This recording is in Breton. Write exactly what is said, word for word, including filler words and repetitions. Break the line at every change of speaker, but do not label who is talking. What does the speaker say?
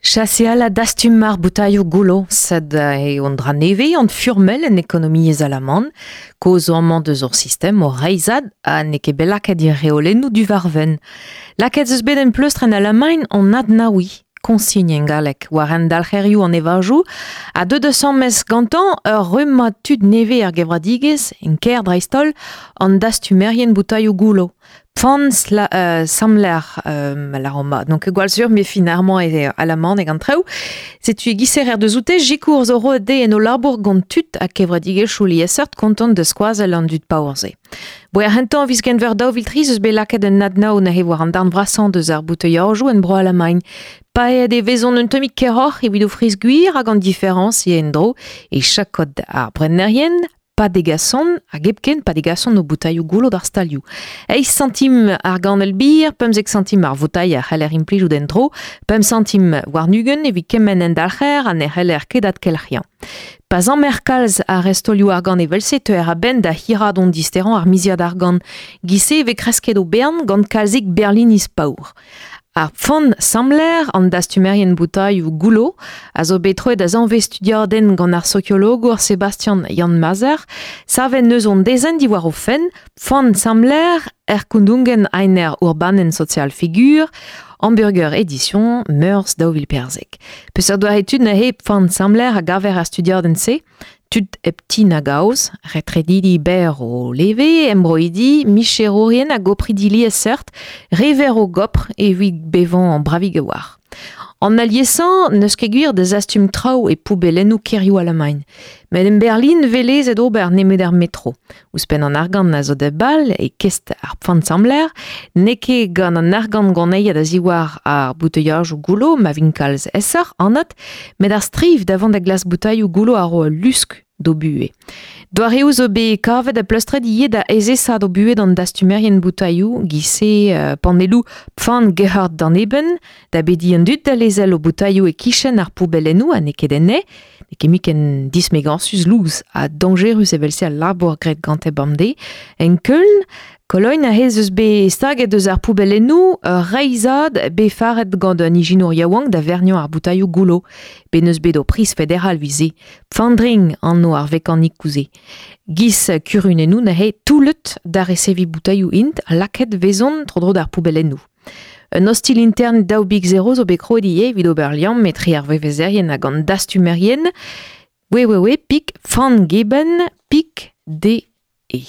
Chaseal a dastum ar boutailhoù goullo, sed eo an dra nevez an furmel en ekonomiezh alaman, koz zo amañ deus ur sistem o reizhad ha n'eo ket bet lakaet ir reolennoù du varven. Lakaet eus bet en pleustr en Alamagn an adnaoui, consigne en galleg, war en dalc'herioù an evajoù, a deux deus mes gantañ ur rummad tud nevez ar gevradigezh, en kêr dreist-holl, an dastumerien boutailhoù goullo. Pfan sla, euh, samler euh, la Roma. Donc gwall sur me finalement e alaman hag an traoù. Setu e giser er deus oute, jikour zo roet de en o labour gant tud a kevradigezhioù liesseurt kontant de skoazell an dud paour-se. Bo er hentan viz genver daou vil tri eus bet lakaet un adnao na he war an darn vrasañ deus ar bouteilhajoù en bro Alamagn. Paeet e vezont un tammig keroc'h evit o friz gwir hag an diferañs e en-dro e chakod ar brennerien, pa degason, hag hepken pa degason o boutailhoù goullo d'ar stalioù. Eizh santim ar ganel bir, pemzek santim ar voutailh a c'heller implijout en-dro, pemp santim war nugen evit kement en dalc'her ha ne c'heller ket adkelc'hiañ. Pas an merkalz ar restolioù argant evelse teuer a-benn da hirad on disteran ar miziad argant. Gise e vez kresket o bern gant kalzik Berlinis paour. Ar pfan samler an dastumerien boutailhoù goullo a zo bet troet da zanvez studiadenn gant ar sokiologour Sebastian Jan Mazer, savet neus on dezenn diwar o fenn, pfan samler Erkundungen einer urbanen Sozialfigur, Hamburger Edition, Meurs daou vil perzek. Peseurt doare tud na he pfan samler a gaver ar studiadenn-se, tud hep ti na gaoz, retredidi ber o leve, embroidi, micherourien hag opridi liesseurt, rever o gopr evit bevañ an bravig a war. An aliesañ n'eus ket gwir da zastum traoù e poubellennoù kêrioù Alamagn. Met en Berlin velez et ober nemet ar metro. Ouzhpenn an argant a zo da bal e kest ar pfan-samler, n'eo ket gant an argant goneiat a ziwar ar boutailhajoù goullo ma vin kalz esoc'h anat, met ar striv da vont da glas boutailhoù goullo a ro ul lusk d'o buhez. Doareoù zo bet kavet a pleustret ivez da ezesad o buhez d'an dastumerien boutailhoù, gise euh, panelloù pfan gehard d'an eben, da bedi an dud da lezel o boutailhoù e kichen ar poubellennoù ha n'eo ket enne, n'eo ket mui ken dismegañsus louz ha dañjerus evel-se al labour graet gante bemdez. En Köln, Kologne a hez eus bet staget eus ar poubellennoù ur reizhad bet faret gant un ijinour yaouank da verniañ ar boutailhoù goullo, bet n'eus bet o priz federal vize. Pfandring anv ar vekanikoù-se. Giz kurunennoù neuze toullet da reseviñ boutailhoù int ha lakaet vezont tro-dro d'ar poubellennoù. Un ostil intern daou bik zero zo bet kroet ivez evit ober liamm etre ar vevezerien hag an dastumerien www pik pfandgeben pik D E.